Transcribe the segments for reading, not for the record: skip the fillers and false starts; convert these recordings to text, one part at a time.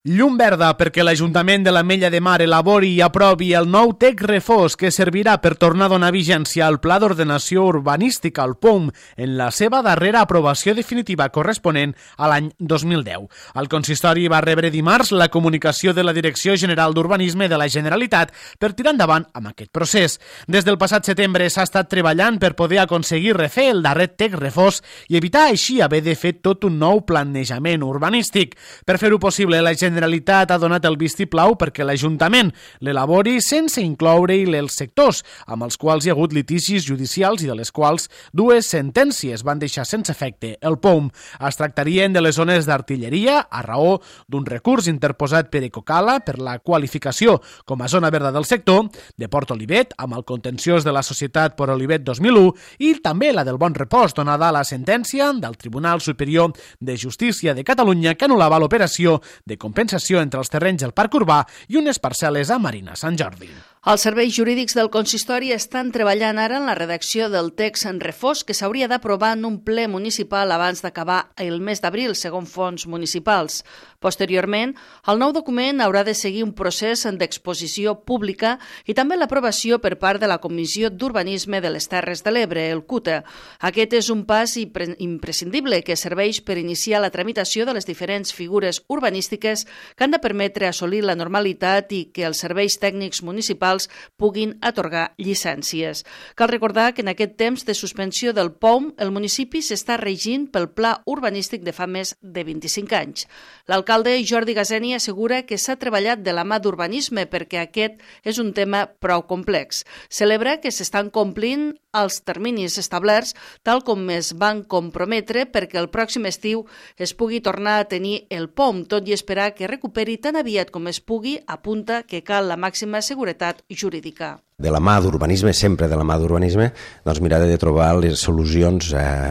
Llum verda perquè l'Ajuntament de l'Ametlla de Mar elabori i aprovi el nou TEC Refós que servirà per tornar a donar vigència al Pla d'Ordenació Urbanística, el POUM, en la seva darrera aprovació definitiva corresponent a l'any 2010. El consistori va rebre dimarts la comunicació de la Direcció General d'Urbanisme de la Generalitat per tirar endavant amb aquest procés. Des del passat setembre s'ha estat treballant per poder aconseguir refer el darrer TEC Refós i evitar així haver de fer tot un nou planejament urbanístic. Per fer-ho possible, la Generalitat ha donat el vistiplau perquè l'Ajuntament l'elabori sense incloure-hi els sectors, amb els quals hi ha hagut litigis judicials i de les quals dues sentències van deixar sense efecte el POUM. Es tractarien de les zones d'artilleria a raó d'un recurs interposat per Ecocala per la qualificació com a zona verda del sector, de Port Olivet amb el contenciós de la Societat Port Olivet 2001 i també la del Bon Repòs, donada la sentència del Tribunal Superior de Justícia de Catalunya que anul·lava l'operació de compensació entre els terrenys del Parc Urbà i unes parcel·les a Marina Sant Jordi. Els serveis jurídics del consistori estan treballant ara en la redacció del text en refós que s'hauria d'aprovar en un ple municipal abans d'acabar el mes d'abril, segons fons municipals. Posteriorment, el nou document haurà de seguir un procés d'exposició pública i també l'aprovació per part de la Comissió d'Urbanisme de les Terres de l'Ebre, el CUTA. Aquest és un pas imprescindible que serveix per iniciar la tramitació de les diferents figures urbanístiques que han de permetre assolir la normalitat i que els serveis tècnics municipals puguin atorgar llicències. Cal recordar que en aquest temps de suspensió del POUM, el municipi s'està regint pel pla urbanístic de fa més de 25 anys. L'alcalde Jordi Gazeni assegura que s'ha treballat de la mà d'urbanisme perquè aquest és un tema prou complex. Celebra que s'estan complint els terminis establerts tal com es van comprometre perquè el pròxim estiu es pugui tornar a tenir el POUM, tot i esperar que recuperi tan aviat com es pugui, apunta que cal la màxima seguretat jurídica. De la mà d'urbanisme, sempre de la mà d'urbanisme, doncs mirar de trobar les solucions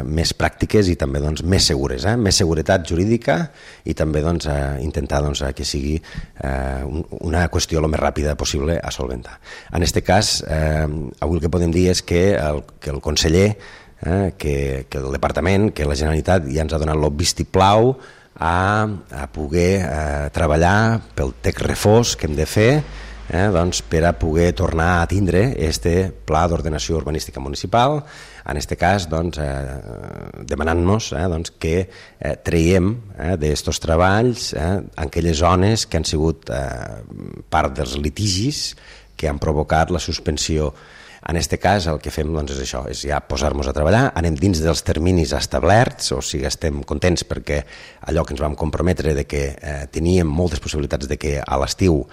més pràctiques i també més segures, més seguretat jurídica i també intentar que sigui una qüestió el més ràpida possible a solventar. En aquest cas, avui el que podem dir és que el conseller, que el departament, que la Generalitat ja ens ha donat el vistiplau a poder treballar pel TEC Refós que hem de fer per a poder tornar a tindre este Pla d'Ordenació Urbanística Municipal, en aquest cas demanant-nos que traiem d'aquests treballs aquelles zones que han sigut part dels litigis que han provocat la suspensió. En aquest cas el que fem és això, és ja posar-nos a treballar, anem dins dels terminis establerts, o sigui, estem contents perquè allò que ens vam comprometre de que teníem moltes possibilitats de que a l'estiu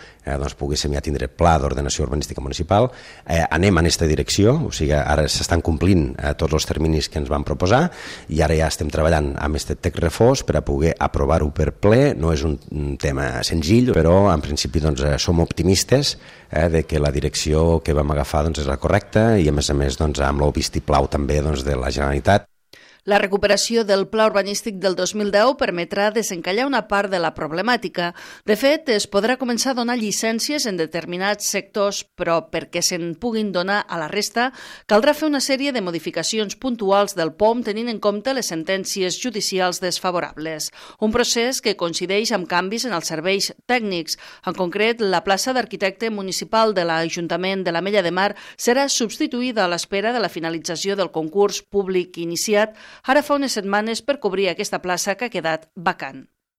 poguéssim ja tindre Pla d'Ordenació Urbanística Municipal, anem en aquesta direcció, o sigui, ara s'estan complint tots els terminis que ens vam proposar i ara ja estem treballant amb aquest TEC Refós per a poder aprovar-ho per ple. No és un tema senzill, però en principi som optimistes de que la direcció que vam agafar és la correcta i a més amb el vistiplau també de la Generalitat. La recuperació del pla urbanístic del 2010 permetrà desencallar una part de la problemàtica. De fet, es podrà començar a donar llicències en determinats sectors, però perquè se'n puguin donar a la resta, caldrà fer una sèrie de modificacions puntuals del POUM tenint en compte les sentències judicials desfavorables. Un procés que coincideix amb canvis en els serveis tècnics. En concret, la plaça d'arquitecte municipal de l'Ajuntament de l'Ametlla de Mar serà substituïda a l'espera de la finalització del concurs públic iniciat ara fa unes setmanes per cobrir aquesta plaça que ha quedat vacant.